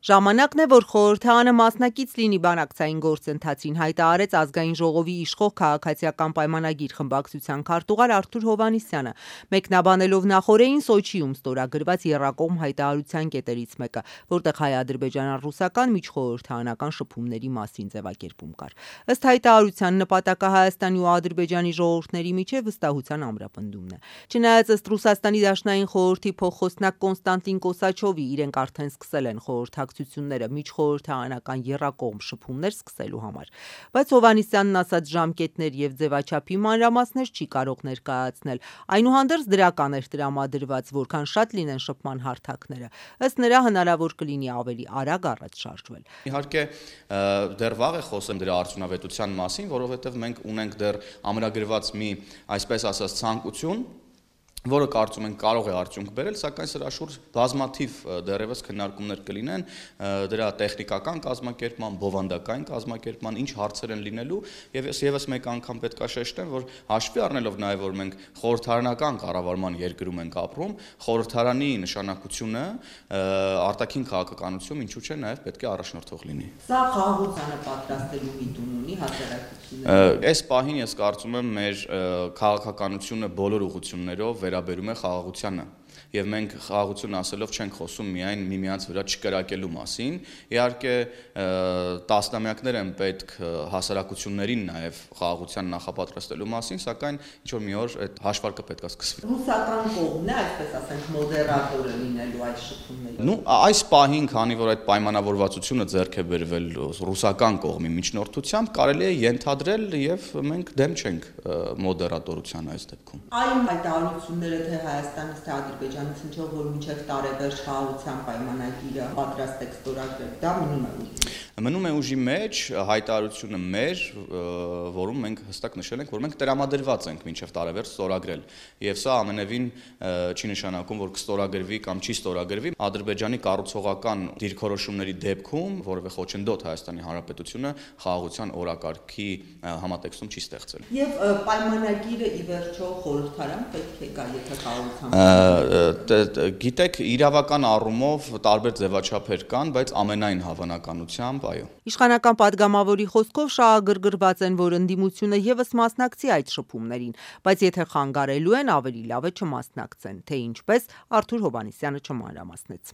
Ժամանակն է, որ խորհրդարանը մասնակից լինի բանակցային գործընթացին, հայտարարեց Ազգային ժողովի իշխող քաղաքացիական պայմանագիր խմբակցության քարտուղար Արթուր Հովհաննիսյանը, մեկնաբանելով նախօրեին Սոչիում ստորագրված եռակողմ հայտարարության կետերից մեկը, որտեղ հայ-ադրբեջանա-ռուսական միջխորհրդարանական շփումների մասին ձևակերպում կար։ Ըստ հայտարարության նպատակը Հայաստանի ու Ադրբեջանի ժողովուրդների միջև վստահության ամրապնդումն է։ Չնայած ըստ Ռուսաստանի Դաշնային խորհրդի փոխխոսնակ Կոնստանտին Կոսաչովի իրենք արդեն սկսել են խորհրդակցությունները միջխորհրդարանական եռակողմ շփումներ սկսելու համար, բայց Հովհաննիսյանն ասած ժամկետներ եւ ձևաչափի մանրամասներ չի կարող ներկայացնել, այնուհանդերձ դրական էր տրամադրված, որքան շատ լինեն շփման հարթակները, ըստ նրա հնարավոր կլինի ավելի արագ առաջ շարժվել։ Իհարկե դեռ վաղ է խոսել դրա արդյունավետության մասին, որովհետեւ մենք ունենք դեռ ամրագրված մի, այսպես ասած, ցանկություն, որը կարծում ենք կարող է արդյունք բերել, սակայն սրա շուրջ բազմաթիվ դեռևս քննարկումներ կլինեն դրա տեխնիկական կազմակերպման, բովանդակային կազմակերպման, ինչ հարցեր են լինելու, եւ եւս մեկ անգամ պետք է շեշտեմ, որ հաշվի առնելով նաեւ որ մենք խորհրդարանական կառավարման երկրում ենք ապրում, խորհրդարանի նշանակությունը արտաքին քաղաքականությունում ինչու՞ չէ նաեւ պետք է առաջնորդող լինի։ Սա խաղաղությանը պատրաստելու միտում ունի հասարակությունը։ Այս պահին ես կարծում եմ մեր քաղաքականությունը բոլոր ուղղություններով վերաբերում է խաղաղությանը, եւ մենք խաղաղություն ասելով չենք խոսում միայն միմյանց վրա չկրակելու մասին, իհարկե տասնամյակներ են պետք հասարակություններին նաեւ խաղաղության նախապատրաստելու մասին, սակայն ինչ որ մի օր այդ հաշվարկը պետք է սկսվի։ Ռուսական կողմն է, այսպես ասենք, մոդերատորը լինելու այդ շփումների։ Այս պահին, քանի որ այդ պայմանավորվածությունը ձեռք է բերվել ռուսական կողմի միջնորդությամբ, կարելի է ենթադրել եւ մենք դեմ չենք մոդերատորության այս դեպքում։ Այն հայտարարությունները թե Հայաստանից թե Ադրբեջանից ինչով որ մինչև տարեվերջ խաղաղության պայմանագիրը պատրաստ է ստորագրել, դա մնում է ուժի մեջ, հայտարարությունը մեր, որում մենք հստակ նշել ենք, որ մենք տրամադրված ենք մինչև տարեվերջ ստորագրել, եւ սա ամենևին չի նշանակում, որ կստորագրվի կամ չի ստորագրվի Ադրբեջանի կառուցողական դիրքորոշումների դեպքում, որևէ խոչընդոտ Հայաստանի Հանրապետությունը խաղաղության օրակարգի համատեքստում չի ստեղծել։ Եվ պայմանագիրը ի վերջո խորհրդարան պետք է գա, եթե խաղաղության Գիտեք, իրավական առումով տարբեր ձևաչափեր կան, բայց ամենայն հավանականությամբ այո։ Իշխանական падգամավորի խոսքով շահագրգռված են, որ ընդդիմությունը եւս մասնակցի այդ շփումներին, բայց եթե խանգարելու են, ավելի լավ է չմասնակցեն, թե ինչպես Արթուր Հովհաննիսյանը չմանրամասնեց։